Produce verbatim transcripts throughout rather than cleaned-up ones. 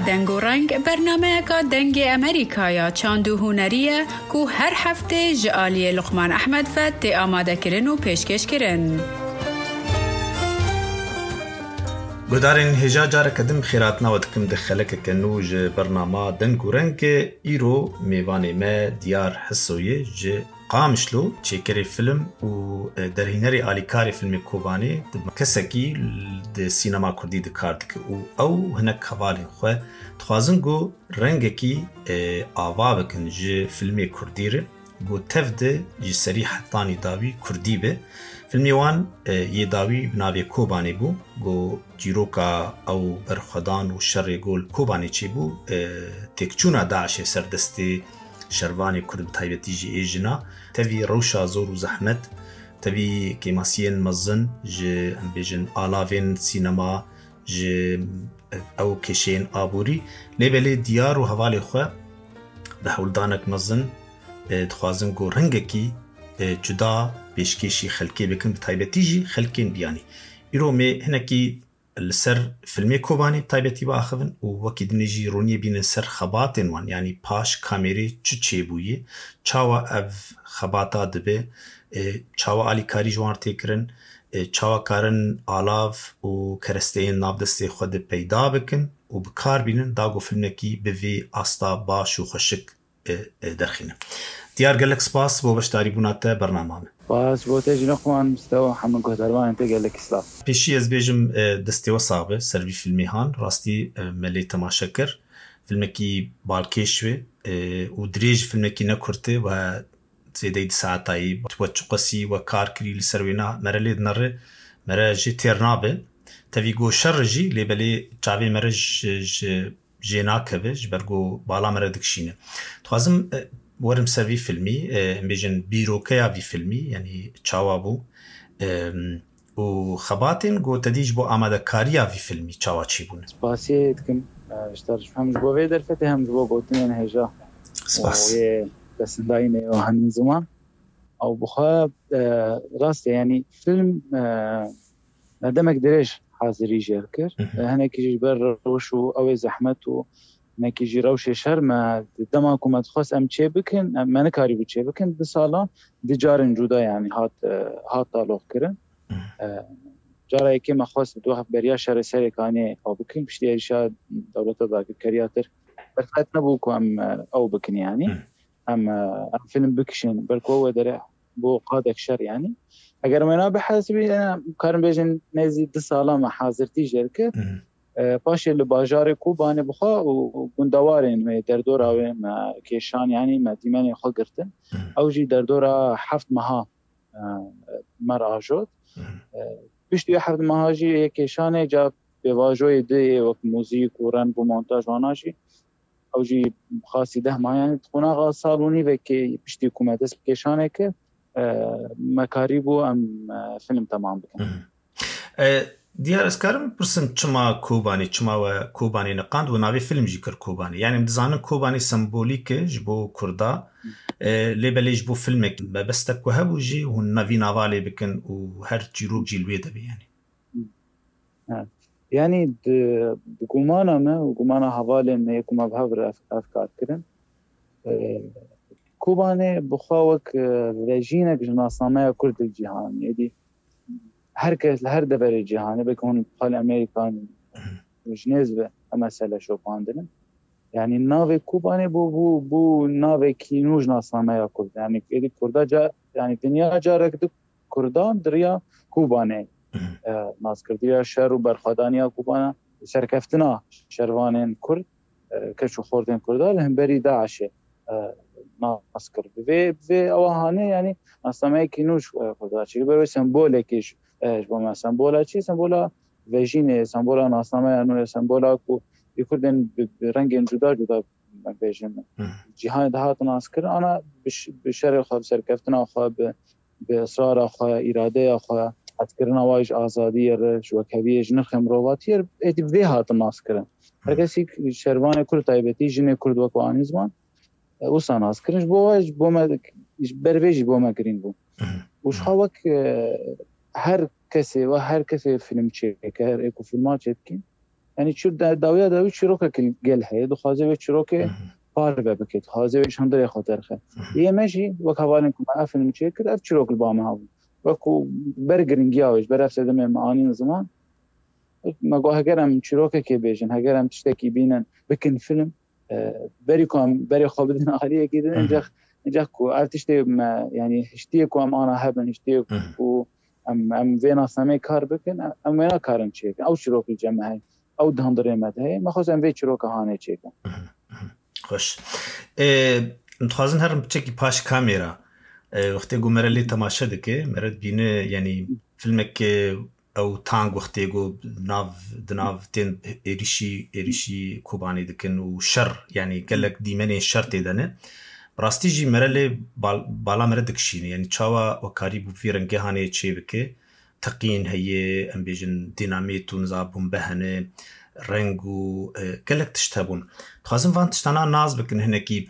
Deng û Reng bernameyeka Dengê Amerîka ya çand û hunerî ye ku her heftê ji aliyê Luqman Ehmed ve tê amadekirin û pêşkêşkirin. Guhdarên hêja, careke din xêrhatina we dikim di xelekeke nû ji bernama Deng û Rengê. Îro mêvanê me Diyar Hisoyê ji Qamişlo, çêkerê film û, e, derhînerê alîkarê filmê Kobanê, di kesekî di sînema kurdî di kar dike û ew hinek hevalên xwe dixwazin ku rengekî, e, ava bikin ji filmê kurdî re, ku tev de ji serî hetanî dawî kurdî be. Filmê wan, e, yê dawî bi navê Kobanê bû, ku çîroka ew berxwedan û şerê ku li Kobanê çêbû, e, têkçûna DAIŞê ser destê şervanê kurd, bi taybetî jî ê jina, tevî rewşa zor û zehmet, tevî kêmasiyên mezin ji, em bêjin, alavên sînema, ji ew kêşeyên aborî, lê belê Diyar û hevalê xwe bi hewldanek mezin, e, dixwazin ku rengekî, e, cuda pêşkêşî xelkê bikin, bi taybetî jî xelkên biyanî. Îro me hinekî li ser filmê Kobanê bi taybetî biaxivin û wekî dinê jî roniyê bînin ser xebatên wan, yanî paş kamêrê çi çêbûyî, çawa ev xebata dibe, e, çawa alîkarî ji wan tê kirin, e, çawa karin alav û keresteyên nav destê xwe de peyda bikin û bi kar bînin, da ku filmekî bi vê asta baş û xweşik, e, e, derxîne. Diyar, gelek spas bo beşdarîbûna te bernama me. Spas bo te jî, Luqman, Mistewa, hemû guhdarvanên te gelek spas. Pêşî ez bêjim, e, destê we sax be, ser vî filmê han, rastî, e, me lê temaşe kir. Filmekî balkêş be, e, û dirêj, filmekî ne kurt e, we zêdeyî di saetayî, we çiqasî we kar kirî li ser wêna, mere lê dinere, mere jê têr nabe. Tevî ku şer jî, lê belê çavê mere ji, ji jê nakeve, ji ber ku bala mere dikişîne. Dixwazim, e, werim ser vî filmî, e, em bêjin bîrokeya vî filmî, yanî çawa bû, e, û xebatên ku te dî ji bo amadekariya vî filmî çawa çêbûne. Spasiyê dikim, e, ji te re, hem ji bo vê derfetê hem ji bo gotinên hêja. Spas. Û yê pesindayînê û henin ziman. Ew bi xwe, e, rast e, yanî film, e, me demek dirêj hazirî jê kir. Hı hı. E, hinekî jî ji ber rewş û ew ê zehmet û hinekî jî rewşê şer me di dema ku me dixwest em çê bikin, em, me nikarîbû çê bikin. Du salan di carên cuda, yanî hat, e, hat taloq kirin. Hı hı. E, cara yekê me xwest di wext beriya şerê serê kanê ew bikin, piştî êrişa dewleta dagirkeriya tir berfet nebû ku em, e, ew bikin, yanî. Hı. Em, e, em film bikişin, ber ku we dere bo qadek şer, yanî. Eger me na bihesibî, e, karin bêjin nêzî du sala me hazirtî jê kir. Hı hı. E, paşê li bajarê Kobanê bi xwe û gundewarên wê, derdora wê me kêşan, yanî me dîmenê xwe girtin. Hı hı. Ew jî derdora heft meha, e, me re ajot. Hı hı. E, piştî wê heft meha jî yê kêşanê ca pêvajoyê duyê wek muzîk û reng û montaj wana jî ew jî xasî deh mah, yanî di qonaxa sal û nîvekê piştî ku me dest bi kêşanê kir, e, me karîbû em, e, film temam bikin. Hı hı. E, Diyar, ez karim bipirsim çima Kobanê, çima we Kobanê niqand û navê film jî kir Kobanê? Yanî em dizanin Kobanê sembolîk e ji bo Kurda, e, lê belê ji bo filmek mebestek ku hebû jî hûn navî nava lê bikin û her çîrok jî li wê de be, yanî. Evet. Yanî di, di gumana me û gumana hevalên me yê ku me bi hev re ev, ev kar kirin, e, Kobanê bi xwe wek, e, vejînek ji nasnameya Kurd li cîhanê, êdî her kes li her deverê cîhanê, belkî hûn xalê Amerîkan ji nêz ve ev mesele şopandin. Yanî navê Kobanê bû, bû, bû navekî nû ji nasnameya Kurd. Yanî êdî Kurda ca-, yanî dinya carek di Kurdan di riya Kobanê, Hı hı. e, nas kir. Di riya şer û berxwedaniya Kobana, serkeftina şervanên Kurd, e, keç û xortên Kurda li hemberî DAIŞê, e, nas kir. Bi vê, bi vê ewa hanê, yanî nasnameyekî nû ji, e, Kurda çêkir. Ber wê sembolekî ji, e, ji bo me. Sembola çi? Sembola vejînê, sembola nasnameya nû ye, sembola ku yê Kurdên bi, bi rengên cuda cuda, em bêjin, Hı. cîhanê de hatin naskirin, ana bi ş-, bi şerê xwe, bi serkeftina xwe, bi, bi israra xwe, îradeya xwe, hetkirina wa ji azadiyê re, ji wekheviyê, ji nirxê mirovatiyê re, êdî bi vê hatin naskirin. Her Hı. kesî şervanê Kurd, taybetî jinê Kurd wek anî ziman, e, wisa naskirin. Ji bo we, ji bo me, ji ber vê jî bo me girîng bû. Hı. Û ji Hı. xwe wek, e, her kesê we, her kesê film çêker, ê ku filma çêdikî, Yanî çi de-, dawiya dawî çîrokek li gel heye, dixwaze wê çîrokê parve bike, dixwaze wê ji hundirê xwe derxe. Yê me jî wek hevalên ku me ev film çêkir, ev çîrok li ba me hebû. Wek ku ber giringiya wê, ji ber ev sedemê me anîn ziman, me got heger em çîrokekê bêjin, heger em tiştekî bînin, bikin film, e, berî ku em berê xwe bidin aliyekî din, Hı hı. Encek, encek ku ev tiştê me, yanî hiştiyê ku em ana hebin, hiştiyê Hı hı. ku em, em vê nasnameyê kar bikin, em wê nakarin çêkin. Ew çîrok li cem me heye. Ew di hundirê me de heye. Me xwest em vê çîroka hanê çêkin. Hı hı. Xweş. Ê, em dixwazin herin piçekî paş kamera. Ê, wextê ku mere lê temaşe dike, mere dibîne, yanî filmek, e, ew tang wextê ku nav, di nav tên êrişî, êrişî Kobanê dikin û şer, yanî gelek dîmenên şer tê de ne. Bi rastî jî mere lê bal-, bala mere dikişîne. Yanî çawa we karîbû vî rengê hanê çê bike? Teqîn heye, em bêjin dînamît û niza bombe hene, reng û, e, gelek tişt hebûn. Dixwazin van tiştana nas bikin hinekî,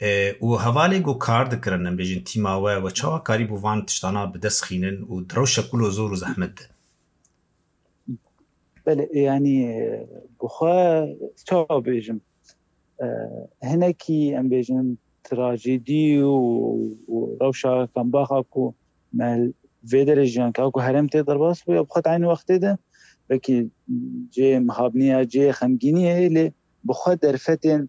e, û hevalê ku kar dikirin, em bêjin tîma we, we çawa karîbû van tiştana bi dest xînin û di rewşa kul û zor û zehmet de? Belê, yanî, e, bi xwe çawa bêjim? E, hinekî, em bêjin, trajedî û, û rewşa kambaxa ku me vê derê jiyan, ka ku herêm tê derbas bû, ya bi xwe di eynî wextê de belkî cihê mihabnî ya cihê xemgînî ye, lê bi xwe derfetên,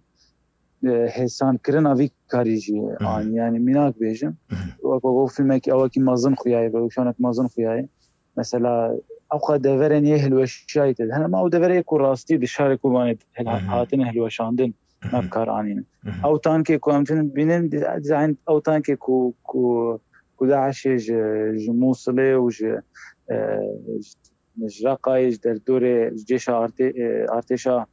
e, hêsankirina vî karî jî Hı hı. anî. Yanî mînak bêjim, Hı hı. wek, wek fîlmekî ewekî mezin xuyaye, wek wîşanek mezin xuyaye. Mesela, ew qas deverên yê hilweşiyayî tê de hene, ma ew deverê ku rastî di şarê Kobanê hil-, Hı hı. hatine hilweşandin, Hı hı. me bi kar anîne. Hı hı. Ew tankê ku em tînin dibînin, di-, dizayn ew tankê ku, ku, ku DAIŞê ji, ji Mûsilê û ji, e, ji, ji Reqayê, ji derdorê, ji cêşa artê-, e, artêşa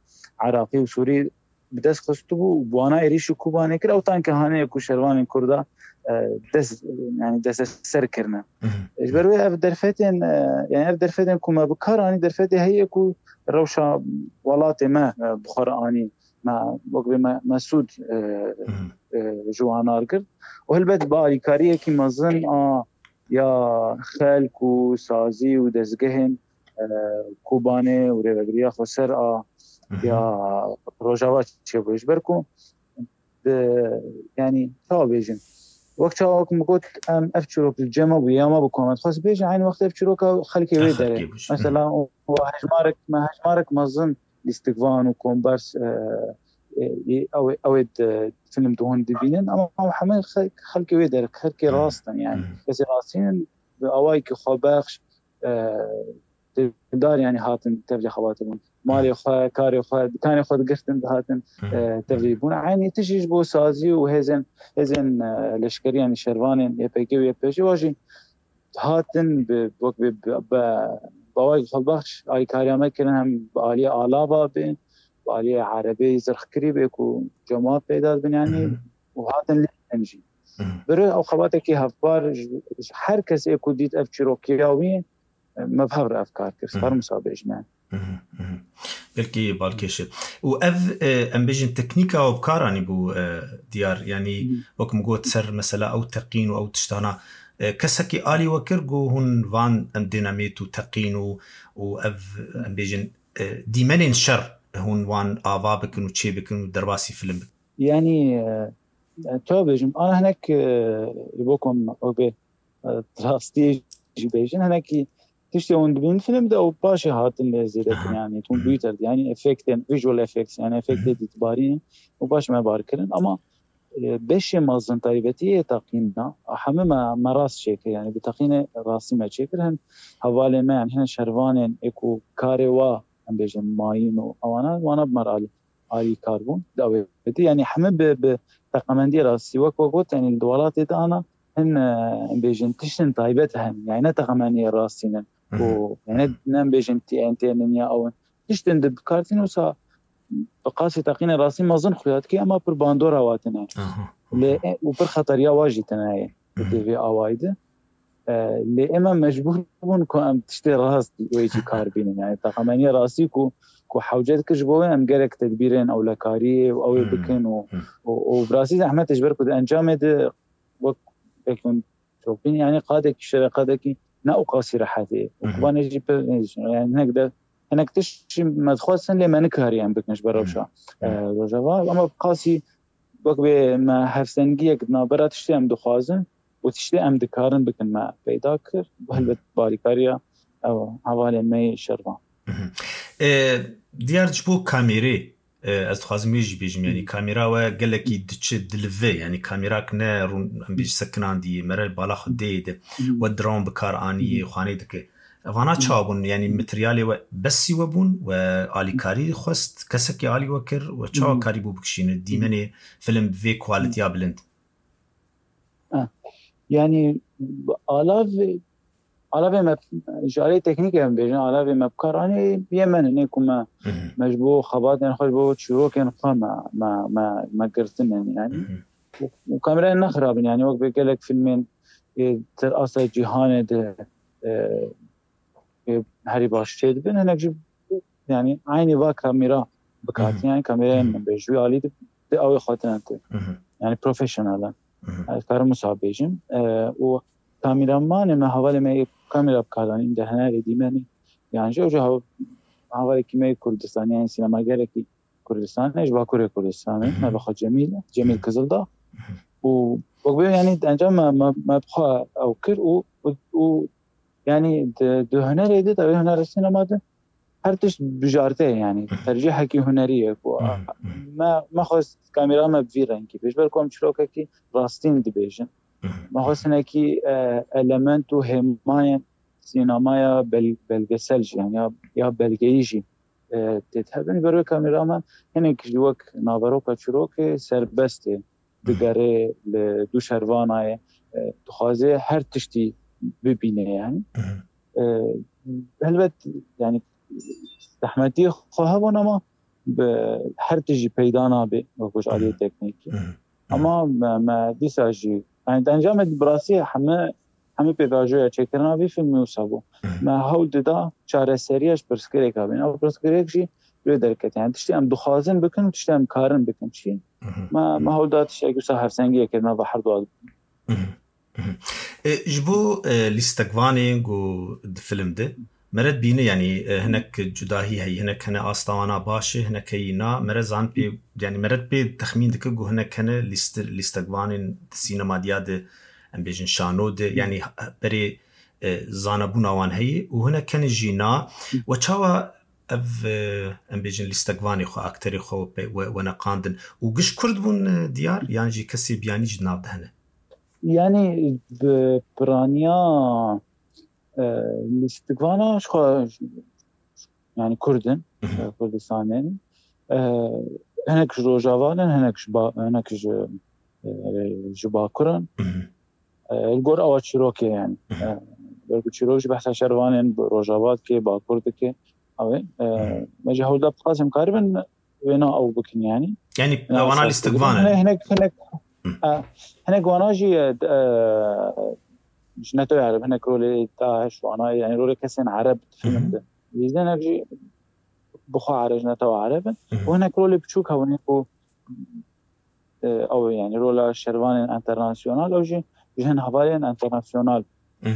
Iraqî û Sûrî bi dest xistibû û bi wana êrîşî Kobanê kir, ew tanke hanê ku şervanên Kurda, e, dest, yanî desteser kirine. Hı hı. Ji ber wê ev derfetên, e, yanî ev derfetên ku me bi kar anî, derfetê heye ku rewşa welatê me, e, bi xwe re anî. Me, wek bê me, me sûd, e, Hı hı. e, ji wan girt. Û helbet bi alîkariyekî mezin a ya xelk û sazî û dezgehên, e, Kobanê û rêvebiriya xweser a Hı hı. ya Rojava çêbûye. Ji ber ku bi, yanî, çawa bêjin? Wek çawa, wek min got, em ev çîrok li cem me bûye, ya me bi ku me dixwest bêjin, eynî wextê ev çîroka xelkê wê Ya derê. xelkê bû. Hı. Mesela, û hejmarek, me hejmarek mezin lîstikvan û kombers, e, e, ew ê, ew ê di film de hûn dibînin, ama ew hemû xelk, xelkê wê derê, xelkê Hı. rast in, yanî. Hı. Kesê rastîn in, bi awayekî xwebexş, e, dildar, yanî hatin tevlî xebatê bûn. Malê xwe, karê xwe, dikanê xwe digirtin, dihatin, Hı hı. e, tevlî bûn. Eynî tişt jî ji bo sazî û hêzên, hêzên, e, leşkerî, yanî şervanên Y P G û Y P J wa jî hatin bi, wek bi, bi, bi, bi awayekî xwebexş alîkariya me kirin, hem bi aliyê alava be, bi aliyê erebê zirxkirî be ku cemaat peyda dibin, yanî, Hı hı. û hatin lê jî. Hı hı. Biri ew xebatekî hevpar ji, ji her kesê ku dît ev çîrokiya wî, me bi hev re ev kar kir. Hı hı. Sparm wisa bêjin, yanî. Hı hı, hı hı. Belkî balkêş e. Û ev, e, em bêjin teknîka û bi kar anî bû, e, diyar. Yanî, Hı hı. wek min got, ser mesela ew teqîn û ew tiştana, e, kesekî alî we kir ku hûn van em dînamît û teqîn û, û ev, em bêjin, e, dîmenên şer hûn wan ava bikin û çê bikin û derbasî film bikin? Yanî, e, e, çawa bêjim? Ana hinek, e, ji bo ku em wek bê, e, rastiyê jî bêjin, hinekî tiştê hûn dibînin film de û paşê hatin lê zêdetir, Aha. yanî hûn Hı hı. bihîter, yanî efektên, visual effects, yanî efektê Hı hı. dîtbarî û paş me bar kirin. Ama, e, beşê mezin taybetî yê teqîna, hemû me, me rast çêkir, yanî bi teqînê rastî me çêkir. Hin hevalê me, yanî hin şervanên ê ku karê wa, em bêjin, mayîn û ewana, wana bi me re alî. alîkar bûn, dawêtî. Yanî hemî bi, bi teqemendiyê rastî, wek we got, yanî li welatê de ana hin, e, em bêjin tiştin taybet hene. Yanî ne teqemendiyê rastî ne. Hı hı. Û, yanî Hı hı. ne em bêjin T N T ne ya ew in. Tiştin di bikartîn wisa bi qasî teqînê rastî mezin xuya dike, ema pir bandora wa tine. Aha. Lê, e, û pir xeteriya wa jî tine ye. Hı hı. Di vê awayî de. E, lê ême mecbûr bûn ku em tiştê rast wê jî kar bînin. Yani, teqemeniya rastî ku, ku hewce dikir ji bo wê em gerek tedbîrên ewlekariyê û ew ê Hmm. bikin û, Hmm. û, û bi rastî zehmet e ji ber ku di encamê de wek, wek hûn dibînin, yani, qadekî şere, qadekî ne û qasî rehet e. Û Mhm. Kobanê jî pir, yani, hinek de hinek tişt jî me dixwestin, lê me nikarî em bikin ji ber rewşa e, Rojava. Ama bi qasî wek bê me hevsengiyek di navbera tiştê em dixwazin û tiştê em dikarin bikin me peyda kir. Helbet bi alîkariya ew hevalên me yê şervan. E, Diyar, ji bo kamêrê, e, ez dixwazim wê jî bêjim, yanî kamêra we gelekî diçe dilive, yanî kamêrak ne rûn, em bêj sekinandî, mere li bala xwe dê de, we drone bi kar anî, xwanê dike. Vana çawa bûn? Yanî materyalê we besî we bûn, we alîkarî xwest, kesekî alî we kir, we çawa karî bû bikişîne dîmenê film vê quality-ya bilind? Ah, yanî alav, alavê me ji alê teknîkê em bêjin, alavê me bi kar anî yê me ne, ne ku me, me ji bo xebatên xwe, ji bo çîrokên xwe me, me, me, me girtin, yanî. Û, û kamerayên ne xirab in, yanî wek bê gelek filmên ê di asta cîhanê de, e, ê herî baş çêdibin, hinek jî, yanî eynî va kamera bikatin, yanî kamerayên min bê ji wî alî de, de ew ê xwe tine te. Yanî professional in. Ez karim wisa bêjim. E, û kameramanê me, hevalê me yê kamera bi kar anîn, de hunerê dîmenê, yan jî ew jî hev-, hevalekî me yê Kurdistanê, yanî sînemagerekî Kurdistanê, ji Bakurê Kurdistanê, navê xwe Cemîl, Cemîl Kizildağ. Û wek bê, yanî encam me, me, me bi xwe ew kir û, û, û yanî di, di hunerê de, di hunerê sînema de her tişt bijarte ye, yanî tercîhekî hunerî ye ku me, me xwest kamera me bi vî rengî bê, ji ber ku em çîrokekî rastîn dibêjin. Me xwest hinekî, e, element û hêmayên sînemaya bel-, belgesel jî, yanî ya, ya belgeyî jî, e, tê de hebin. Ji ber wê kamera me hinek jî wek naveroka çîrokê serbest e, digere li dû şervanayê, e, dixwaze her tiştî bibîne, yanî. E, helbet, yanî zehmetiyê xwe hebûn, ama bi her tişt jî peyda nabe, wek ji aliyê teknîkî. Ama me, me dîsa jî, yanî di encamê de bi rastî hemî, hemî pêvajoya çêkirina vî filmî wisa bû. Me hewl dida çareseriya ji pirsgirêka bîne. Ew pirsgirêk jî wê derket. Yanî tiştê em dixwazin bikin û tiştê em karin bikin çi? Me, me hewl da tiştekî wisa hevsengiyê kir nava herduwa. E, ji bo, e, lîstekvanê ku di film de, mere dibîne, yanî, e, hinek cudahî heye, hinek hene asta wana baş e, hinek heyî na, mere zan pê, yanî mere pê texmîn dike ku hinek hene lîste-, lîstekvanên di sînema diya de, em bêjin şano de, yanî berê, e, zanebûna wan heye û hinek hene jî na. We çawa ev, e, em bêjin lîstekvanê xwe, akterê xwe we pe-, we, we neqandin û giş Kurd bûn, e, Diyar, yan jî kesê biyanî jî di nav de hene? Yanî bi piraniya, e, lîstikvana ji xwe, yanî Kurd in, e, Kurdistanê ne. E, hinek ji Rojava ne, hinek ji ba-, hinek ji, e, ji Bakur in. E, li gor ewa çîrokê, yanî. E, ber ku çîrok jî behsa şervanên bi Rojava dike, Bakur dike. Ew ê, e, me jî hewl da bi qasî em karibin wêna ew bikin, yanî. Yanî ewana lîstikvan in. Hinek, hinek, hinek, e, hinek wana jî, e, d-, e, ji netewê ereb, hinek rolê DAIŞ wana, yanî rolê kesên ereb di film de. Lîzde hinek jî bi xwe ereb, ji netewa ereb in. Û hinek rolê biçûk hebûn ku, e, ew, yanî rola şervanên enternasyonal, ew jî ji hin hevalên enternasyonal me,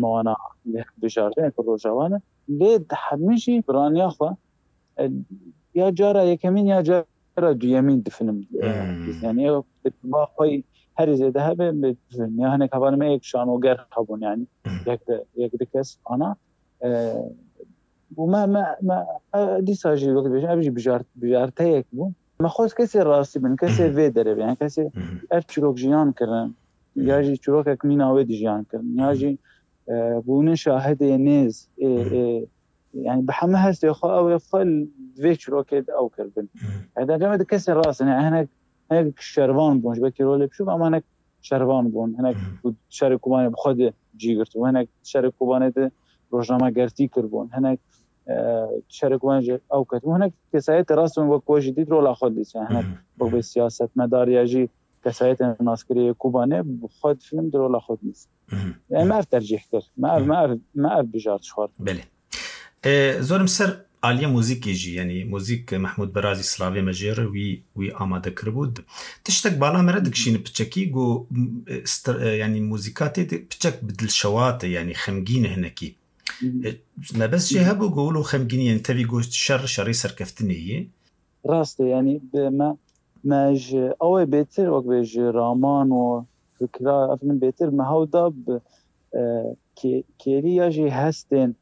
me wana lê bijartin, ku Rojava ne. Lê di hemî jî piraniya xwe, e, ya cara yekemîn ya cara duyemîn di film, e, yanî ew ba xwe herî zêde hebe bi film. Ya hinek hevalên me yek şanoger hebûn, yanî yek de, yek di kes ana, e, û me, me, me, e, dîsa jî wek dibêjin, ev jî bijart-, bijarteyek bû. Me xwest kesê rastî bin, kesê vê derê bin, yanî kesê ev çîrok jiyan kirin, ya jî çîrokek mîna wê dijiyan kirin, ya jî, e, bûnin şahidê nêz, ê, ê, yanî bi hemû hestê xwe ew ê xwe li vê çîrokê de ew kiribin. Yanî di encamê de kesê rast in, yanî hinek, hinek şervan bûn, ji belkî rolê biçûk, ama hinek şervan bûn, hinek ku şerê Kobanê bi xwe de cî girtibûn, hinek şerê Kobanê de rojnamegertî kiribûn, hinek, e, şerê Kobanê jî ew ketibûn, hinek kesayetê rast in wek we jî dît rola xwe dît, yanî hinek wek bê siyasetmedar ya jî kesayetên naskirî yê Kobanê bi xwe di film de rola xwe dît. Yanî me ev tercîh kir, me ev, me ev, me ev bijart ji xwe re. Belê. E, zorim ser aliyê muzîkê jî, yanî muzîk Mehmûd Berazî, silavê me jê re, wî, wî amade kiribû. Tiştek bala me re dikişîne piçekî, ku, e, stir-, e, yanî muzîka tê de piçek bi dilşewat e, yanî xemgîn e hinekî. E, mebest jê hebû ku wilo xemgînî, yani tevî goşt şer, şerê serkeftinê yê. Rast e, yani bi me, me ji ew ê bêtir, wek bê ji raman û fikra, efendim bêtir me hew da bi, e, kê-, kêliya jî hestên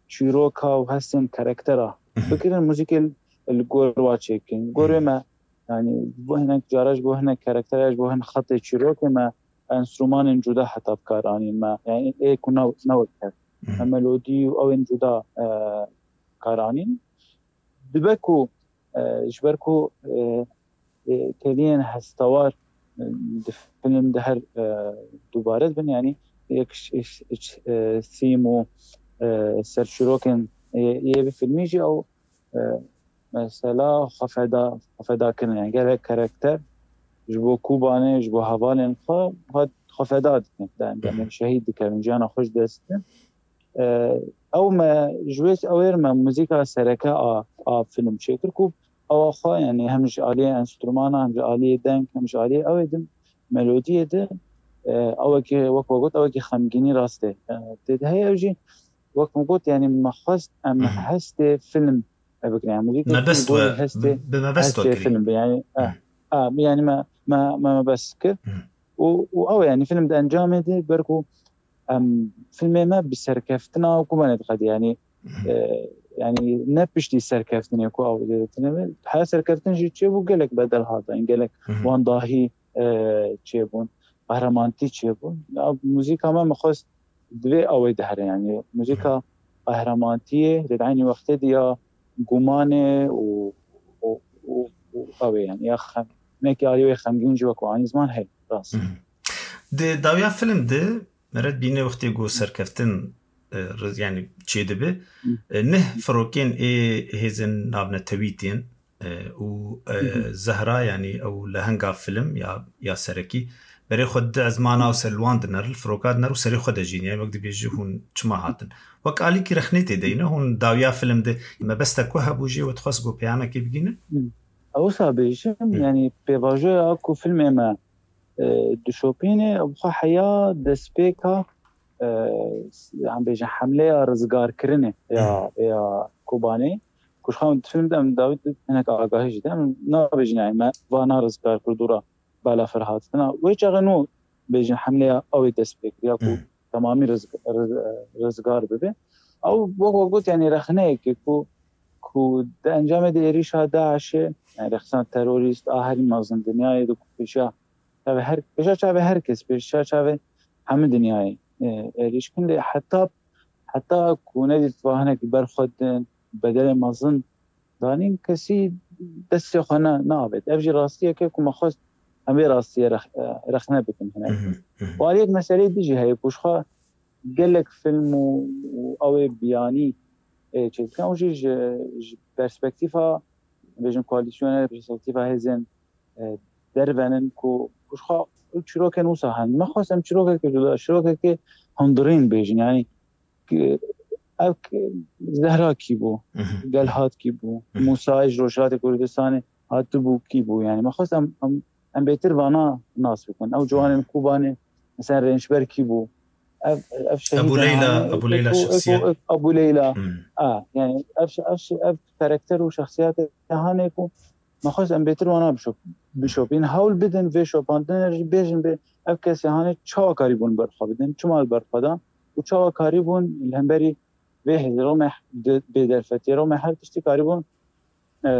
çîroka û hestên karaktera bikirin, muzîkê li gor wa çêkin. Gorê me, yani bo hinek cara ji bo hinek karaktera, ji bo hin xetê çîrokê me enstrûmanên cuda heta bi kar anîn me. Yani ê ku ne, ne wek hev. Me melodî û ew ên cuda, e, kar anîn. Dibe ku, e, ji ber ku, e, e, kêliyên hestewar, e, di film de her, e, dubare dibin, yani yek ş-, ş-, ş-, e, theme û, e, serçîrokên, e, yê bi filmî jî ew, e, mesela xwe feda, xwe feda kirin, yani gelek karakter ji bo Kubanê, ji bo hevalên xwe, xwe, xwe feda dikin, yani, yani şehîd dikevin, jiyana xwe ji dest didin. E, ew me ji wê ew ê me muzîka sereke a, a film çêkir ku ewa xwe, yani hem ji aliyê enstrûmana, hem ji aliyê deng, hem ji aliyê ew ê din melodiyê de, e, ewekî, wek we got, ewekî xemgînî rast e. E, tê de heye ew jî, wek me got, yani me xwest em hestê film e bikin. Yani muzîka mebest we, hestê, bi mebest we hestê kirî. Film be. Yani, e, e, yani me, me, me mebest kir. Û, û ew e, yani film di encamê de ber ku em filmê me bi serkeftina Kubanê diqedî, yani, e, yani ne piştî serkeftinê ku ew dê tine be, her serkeftin jî çêbû, gelek bedel hatin, gelek wan dahî, e, çêbûn, qehremanîtî çêbûn. Ya, muzîka me, me xwest divê ew ê dihere, yani muzîka qehremanîtiyê, lê di eynî wextê de ya gumanê û, û, û, û ew ê, yani ya xem-, hinekî alî wê xemgîn jî wek anî ziman heye, rast. Di dawiya film de Meret bîne wextê ku serkeftin, e, riz-, yani çêdibe, e, neh firokên ê hêzên navnetewî tên, e, û, e, Zehra, yani ew lehenga film ya, ya serekî, berê xwe di ezmana û ser li wan diner, li firoka diner û serê xwe dejîn, yani wek dibêje hûn çima hatin. Wek alîkî rexnê tê de yîne, hûn dawiya film de mebestek ku hebû jê we dixwest ku peyamekê bigînin? Ew wisa bêjim, yani pêvajoya ku filmê me e, dişopîne, bi xwe heya destpêka, e, em bêjin hemleya rizgarkirinê ya, ya Kobanê. Ku ji xwe em difilm de em dawî di hinek agahî jî de em nabêjin, yani me vana rizgar kir dûra balafir hatina. Wê çaxê nû bêjin hemleya ew ê dest pê kir ya ku temamî rizg-, riz-, rizgar bibe. Ew wek we got, yani rexneyekê ku, ku di encamê de êrîşa DAIŞê, yani rexsan terorîst a herî mezin dinyayê de ku pêşiya çavê her, pêşa çavê her kes, pêşa çavê hemî dinyayê, e, êrîş kin. Lê heta, heta ku nedît va hinek ber xwe din, bedelê mezin danîn, kesî destê xwe ne, neavêt. Ev jî rastiyek e ku me xwest em vê rastiyê rex-, e, rexne bikin hinek. Û aliyek meseleyê din jî heye ku ji xwe gelek film û, û ew ê biyanî, e, çêdikin. Ew jî ji, ji perspektîfa, bêjin koalîsyonê, perspektîfa hêzên, e, derve nin ku, ku ji xwe ew çîrokên wisa hene. Me xwest em çîrokeke cuda, çîrokeke hundirîn bêjin. Yani, ki, ev ki Zehra kî bû, Gelhat kî bû, Mûsayê ji Rojhilatê Kurdistanê hatibû kî bû. Yani, me xwest em, em, em bêtir vana nas bikin. Ew ciwanên Kobanê, mesela Rênçber kî bû? Ev, ev şehîd Ebu Leyla, hane, Ebu Leyla ev, ev, şexsiyet. Ev, Ebu Leyla. A, yani, ev, ev, ev karakter û şexsiyetê hane ku me xwest em bêtir wana bişop-, bişopîn. Hewl bidin vê şopandinê jî bêjin bê ev kesê hane çawa karîbûn ber xwe bidin, çima li ber xwe dan û çawa karîbûn li hemberî vê hêzê rome de-, bêderfetiyê rome her tiştî karîbûn, e,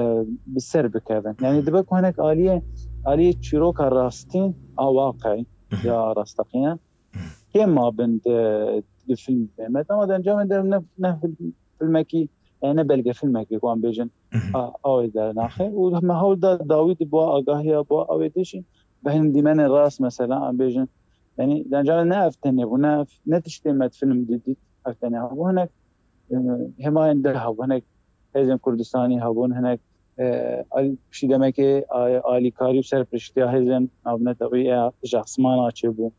bi ser bikevin. Yani dibe ku hinek aliyê, aliyê çîroka rastîn a waqeî ya rasteqîne kêm mabin di, di filmê me. Dema di encamê de ne, ne film-, filmekî, yani ne belgefilmekî ku em bêjin, a, awê dernaxe. Û me hewl da dawî di bo agahiya bo awê de jî bi hin dîmenên rast mesela em bêjin. Yani di encamê ne ev tenê bû, ne ev, ne tiştê me di film didît ev tenê hebû. Hinek, e, hêmayên din hebû, hinek hêzên Kurdistanî hebûn, hinek, e, al-, piştî demekê, a-, alîkarî û serpiştiya hêzên navnetewî ya ji esmana çêbû.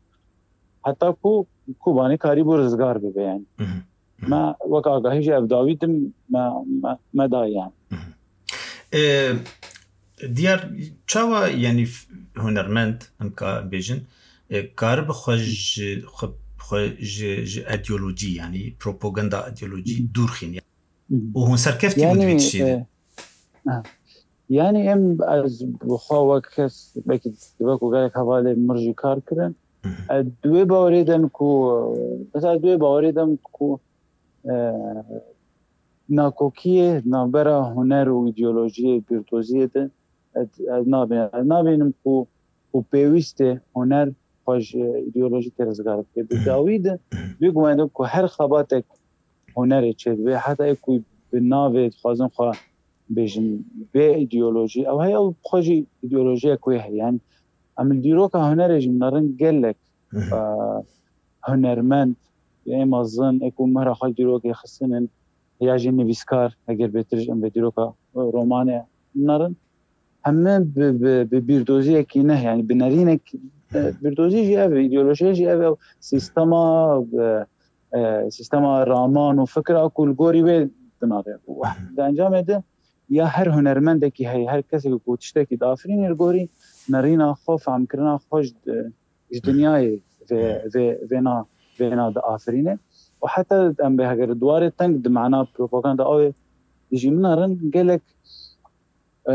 Heta ku Kobanê karîbû rizgar bibe yani. Me wek agahî jî ev dawî din me, me, me daye yani. E, diyar çawa, yani f-, hunermend, em ka bêjin, e, karibe xwe ji xwe, xwe ji, ji ideolojî, yanî propaganda ideolojî dûr xîn. Û hûn serkeftî bûn di vî tiştê de. E, ha. Yanî em, ez bi xwe wek kes, belkî dibe ku gelek hevalê mir jî kar kirin. Hı hı. Ez di wê bawerê de me ku, mesela, ez di wê bawerê de me ku, e, nakokiyê navbera huner û îdeolojiyê, bîrdoziyê de ez, ez nabînim. Ez nabînim ku, ku pêwîst e huner xwe ji îdeolojîkê rizgar bike. Di dawî de bêguman ku her xebatek hunerê çêdibe, heta ê ku bi navê dixwazin xwe bêjin bê îdeolojî, ew heye, ew xwe jî îdeolojiyek wê heye. Yani, em li dîroka hunerê jî minerin gelek, e, hunermend, ê mezin, ê ku mehra xwe dîrokê xistinin, ya jî nivîskar, eger bêtir jî em vê dîroka, e, romanê nerin, heme bi, bi, bi bîrdoziyekî ne, yani bi nerînek, e, bîrdozî jî ev e, îdeolojiyê jî ev e, ew sîstema, e, e, sîstema raman û fikra ku li gorî wê dinare. Û di encamê de ya her hunermendekî heye, her kesekî ku tiştekî diafirîne, li gorî nerîna xwe, fehmkirina xwe ji, ji dinyayê vê, vê, vêna, vêna diafirîne. Û heta em bê heger di warê teng di mana propaganda awê jî minerin, gelek, e,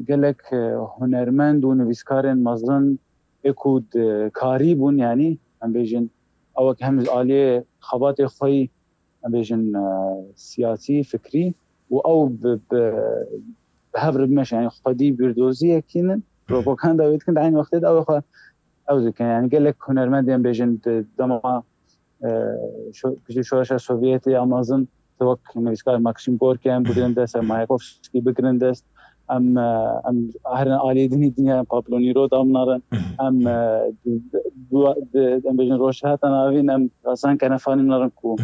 gelek, e, hunermend û nivîskarên mezin ê ku di karî bûn, yanî em bêjin, ew wek hem ji aliyê xebatê xwe yî, em bêjin, e, siyasî, fikrî û ew bi, bi, bi hev re bimeşin, yanî xwedî bîrdoziyekî ne, propaganda wê dikin, di eynî wextê de ew xwe ew dikin. Yanî gelek hunermendên bêjin di dema, e, şo-, piştî şoreşa Sovyetê ya mezin, wek nivîskar Maxim Gorki em bigirin dest, em Mayakovskî bigirin dest, em, e, em herin aliyê dinî dinya, em Pablo Neruda minerin, em, e, di, di, di, di, em bêjin Rojhilata Navîn, em Hasan Kenefanî minerin ku,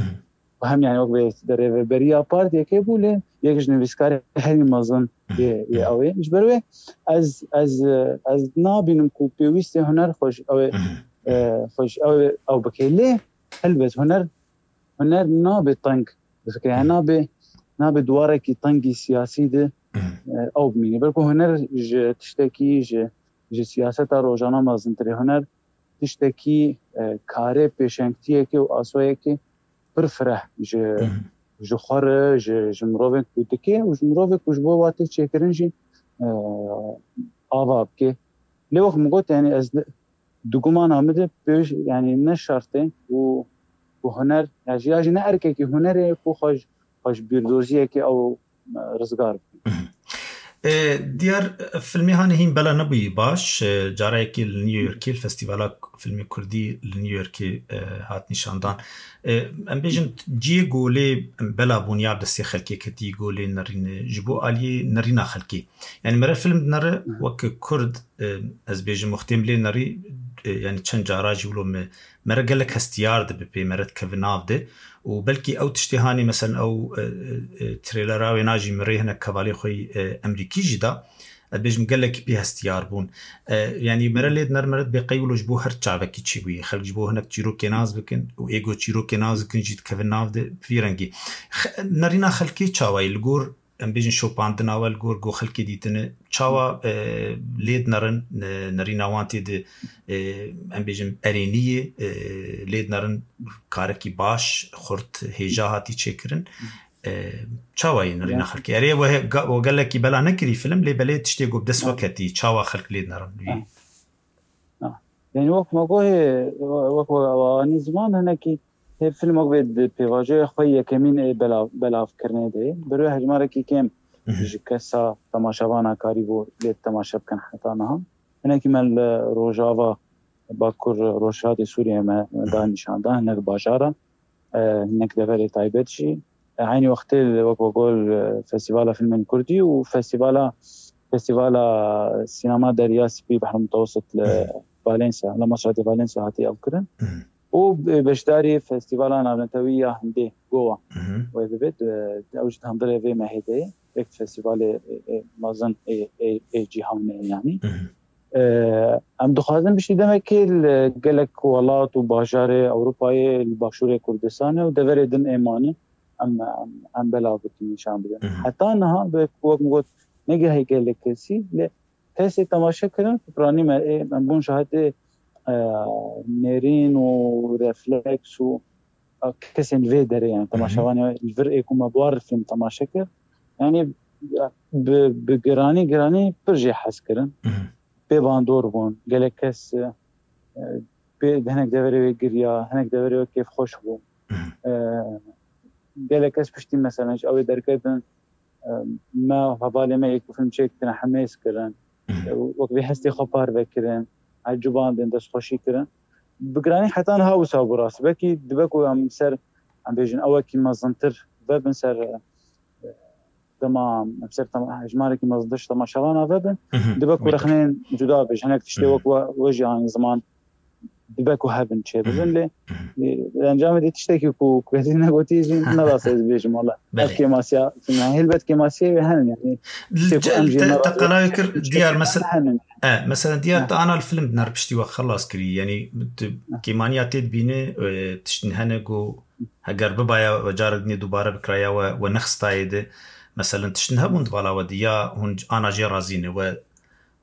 ku hem, yani, wek vê di rêveberiya partiyekê bû, lê yek ji nivîskarê herî mezin yê, yê ew ê. Ji ber wê ez, ez, ez nabînim ku pêwîstê huner xwe ji ew ê, e, xwe ji ew ê ew bike. Lê helbet huner, huner nabe teng, yani nabe, nabe duwarekî tengî siyasî de, e, ew bimîne. Belku huner ji tiştekî, ji, ji siyaseta rojana mezintir e. Huner tiştekî, e, karê pêşengtiyekê û asoyekê pir fireh ji, ji xwe re, ji, ji mirovên ku dike û ji mirovê ku ji bo watê çêkirin jî, e, ava bike. Lê wek min got, yani ez di, di gumana min de pêş, yani ne şert e û, û huner, ya jî, ya jî ne erkekî hunerê ku xwe ji, xwe ji bîrdoziyekê ew, e, rizgar bike. E, diyar, e, filmê hanê hîn bela nebûyî baş. E, cara yekê li New Yorkê, li Festîvala Filmê Kurdî li New Yorkê, e, hat nîşandan. E, em bêjin cihê ku lê bela bûn ya bi destê xelkê ketî, ku lê nerîne, ji bo aliyê nerîna xelkê. Yani mere film dinere, wek Kurd, e, ez bêjim wextê em lê nerî, e, yani çend cara jî wilo me, mere gelek hestiyar dibe pê, mere dikeve nav de. Û belkî ew tiştê hanê, meselen ew, e, e, e, trêlera wêna jî min rê hinek hevalê xwe yî, e, Emerîkî jî da. Ez bêjim gelekî pê hestiyar bûn. E, yanî mere lê diner, mere dibê qey wilo ji bo her çavekî çêbûye. Xelk ji bo hinek çîrokê nas bikin û ê ku çîrokê nas dikin jî dikevin nav de bi vî rengî. Xe-, nerîna xelkê çawa ye? Li gor, em bêjin, şopandina we, li gor ku xelkê dîtine, çawa, e, lê dinerin, ne-, nerîna wan tê de, e, em bêjin, erênî ye, e, lê dinerin karekî baş, xurt, hêja hatî çêkirin. E, çawa ye nerîna xelkê? Erê, we he-, ga-, we gelekî bela nekirî film, lê belê tiştê ku bi dest we ketî, çawa xelk lê dinerin? Ha. Ha. Yani wek me gohê, wek we anî ziman, hinekî hê filmek vê di pêvajoya xwe yekemîn ê belav-, belavkirinê de ye. Bi rê hejmarekî kêm ji kesa temaşevana karîbû lê temaşe bikin heta niha. Hinekî me li Rojava, Bakur, Rojhilatê Sûriyê me da nîşan da, hinek bajara, e, hinek deverê taybet jî. E, eynî wextê li wek we got, e, Festîvala Filmên Kurdî û Festîvala, Festîvala Sînema Derya Spî, Behr Mutewessit li Valencia, li Masratê Valencia hatiye ew kirin. Û be-, beşdarî Festîvala Navnetewî ya Hindê, Gowa, wê bibêt, e, ew jî di hundirê vê mehê de ye. Yek festîvalê, e, e, mezin ê, ê, ê cîhanê ye, yanî. E, em dixwazin piştî demekê li gelek welat û bajarê Ewropayê, li Başûrê Kurdistanê û deverê din ê mane, em, em, em belav bikin, nîşan bidin. Heta niha, be-, wek min got, negihê gelek kesî, lê kesê temaşe kirin, piranî me, ê, em bûn şahidê, e, nêrîn û refleks û, e, kesên vê derê, yani temaşevanê li vir ê ku me bi wan re fîlm temaşe kir. Yani, e, bi, bi giranî, giranî pir jê hez kirin. Pê bandor bûn. Gelek kes, e, e, pê, hinek deverê wê giriya, hinek deverê wê kêfxweş bû. E, gelek kes piştî, mesela, ji ew ê derketin, e, me û hevalê me yek film çêkirine, hemêz kirin. E, wek vê hestê xwe parve kirin, ecibandin, destxweşî kirin. Bi giranî heta niha wisa bû rast. Belkî dibe ku em ser, em bêjin, ewekî mezintir vebin ser, e, dema em ser tema-, hejmarekî mezintir ji temaşevana vebin, dibe ku rexneyên cuda be, ji hinek tiştê wek we, we jî anî ziman dibe ku hebin çêbibin, lê, lê di encamê de tiştekî ku, ku kesî negotî jî ne rast ez bêjim, wala. Ev kêmasiya, yani, helbet kêmasiyê wê henin, yani, tiştê ku em jî te, ne te rast qelayê kir, diyar, mesela, henin. E, mesela, diyar, te ana li film di nerpiştî we xelas kirî, yani, tu kêmaniya tê dibîne, e, tiştin hene ku heger bibaya we carek dinê dubare bikiraya we, we nexistayê de, mesela, tiştin hebûn di bala we de, ya hûn ana jê razî ne, we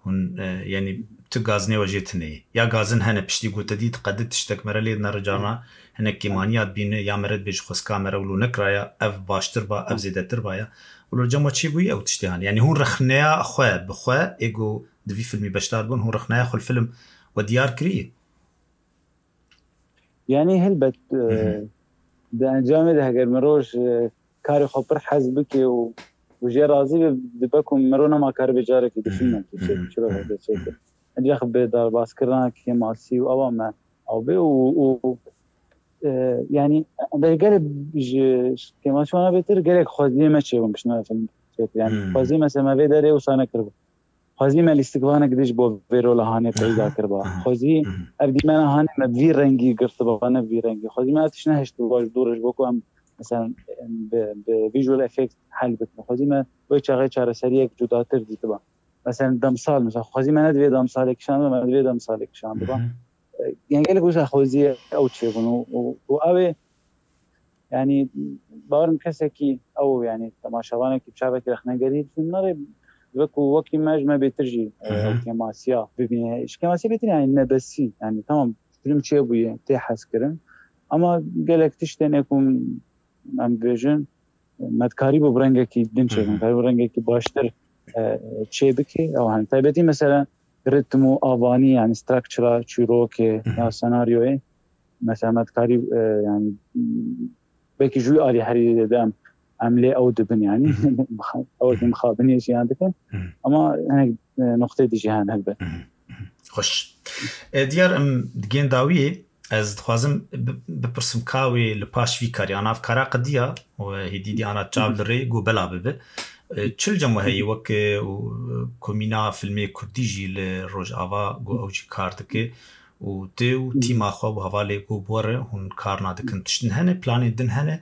Hûn, e, yani, tu gazinê we jê tune ye. Ya gazin hene piştî ku te dît qedi tiştek mere lê nere carna hinek kêmaniya dibîne ya mere dibêje xwestka mere wilo nekiraya, ev baştir ba, ev zêdetir ba ya. Wilo cem we çêbûyî ew tiştê hane. Yani hûn rexneya xwe bi xwe, ê ku di vî filmî beşdar bûn, hûn rexneya xwe li film we diyar kirî? Yani helbet, e, di encamê de heger mirov ji karê xwe pir hez bike û, û jê razî be, dibe ku mirov nema karibe carekî di filmekî çêke, çiro hebe çêke. Ancak bi darbaskirina kêmasî û ewa me ew bê û, û, e, yani, gelê ji kêmasî wana bêtir gelek xweziyê me çêbûn piştî me film çêkir. Yani xweziyê me, se me vê derê wisa nekiribû. Xwezî me lîstikvanek dî ji bo vê rola hanê peyda kiriba. Xwezî ev dîmena hanê me vî rengî girtiba, ne vî rengî. Xwezî me ev tişt nehiştiba ji dû re ji bo ku em, mesela, em bi, bi visual effect hel bikin. Xwezî me wê çaxê çareseriyek cudatir dîtiba. Mesela demsal, mesela xwezî me ne divê demsalê kişandiba, me divê demsalê kişandiba. E, yani gelek wisa xwezî ew çêbûn û, û, û ew ê Yani, bawerim kesekî ew, yani, temaşevanekî bi çavekî rexnegerî dibîne, dibe ku wekî me ji me bêtir jî, e, kêmasiya bibîne. Ji kêmasiya bêtir, yani, nebesî, yani, tamam, film çêbûye, tê hezkirin. Ama gelek tiştên ê ku em dibêjin, me dikarîbû bi rengekî din çêkin, dikarîbû rengekî baştir, e, çê bike. Ew, hani, taybetî, mesela, ritm û avanî, yani, structure-a çîrokê ya senaryoyê, mesela, me dikarî, e, yani, belkî ji wî alî herî de em, em lê ew dibin, yani. Ew ki mixabinê jiyan dikin. Ama hinek, e, noqtê dijî hene helbet. Xweş. E, diyar em digên dawiyê, ez dixwazim bi-, bipirsim ka wê li paş vî karî, ana ev kara qediya û hêdî dî ana çav li rê ku bela bibe. E, çi li cem we heye wek, e, û, e, komîna filmê kurdî jî li Rojava ku ew jî kar dike û tê û tîma xwe û hevalê ku bi we re hûn karna dikin. Tiştin hene, planên din hene?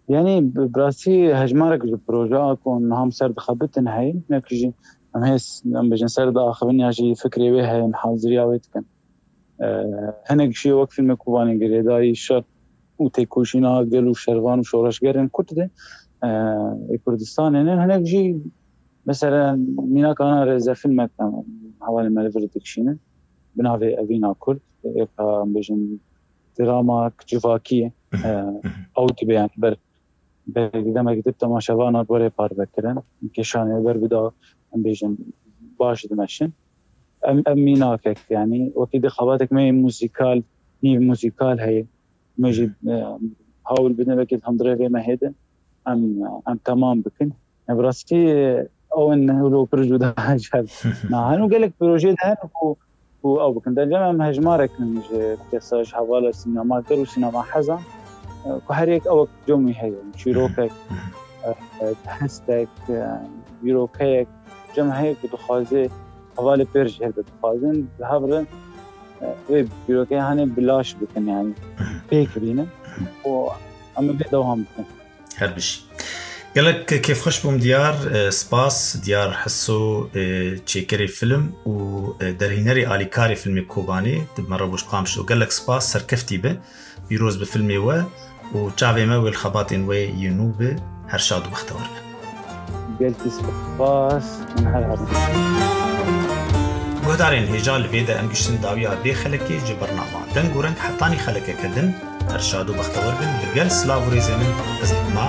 Yani, bi, bi rastî hejmarek ji projeya ku niha em ser dixebitin heye, hinek jî em hê s-, em bêjin ser diaxivin ya jî fikrê wê heye, em haziriya wê dikin. E, hinek jî wek fîlmê Kobanê girêdayî şer û têkoşîna gel û şervan û şoreşgerên Kurd de, e, ê Kurdistanê ne. Hinek jî, mesela, mînaka ana rêzefîlmek, em, hevalên me li vir dikişînin. Bi navê Evîna Kurd, êka, em bêjin, dramak civakî ye. E, ew dibe, yani, ber, ber demek dib temaşevana gorê parve kirin. Kêşanê ber bida, em bêjin, baş dimeşin. Em, em mînakek, yani, wekî di xebatek me yê muzîkal, nîv muzîkal heye. Me jî, e, hawl bidin, belkî di hundirê vê mehê de em, em temam bikin. Ya, bi rastî, ew in wilo pir cuda ji hev nahin û gelek projeyê de hene ku, ku ew bikin. Dencem em hejmarek in ji kesa, ji hevala sînemager û sînema hezan, e, ku her yek ew cem wî heye. Çîrokek, e, e, hestek, e, dîrokeyek, cem heye ku dixwaze hevalê pêr jî hebe dixwazin, bi hev re, e, wê dîrokeyê hanê bi laş bikin, yani pêk bînin û em ê vê dewam bikin. Her bijî. Gelek kêfxweş bûm diyar, e, spas diyar Heso, e, çêkerê film û, e, derhînerê alîkarê filmê Kobanê, di me re boş qamşo. Gelek spas, serkeftî be. Pîroz bi filmê we û çavê me wê li xebatên we yê nû be. Her şad û bextewar be. Gelkî spas, her her. Guhdarên hêja, li vê de em giştin dawiya vê xelekê. Ji bernama Deng û Reng hetanî xelekeke din, her şad û bextewar bin. Bi gel silav û rêzê min, ez Hikma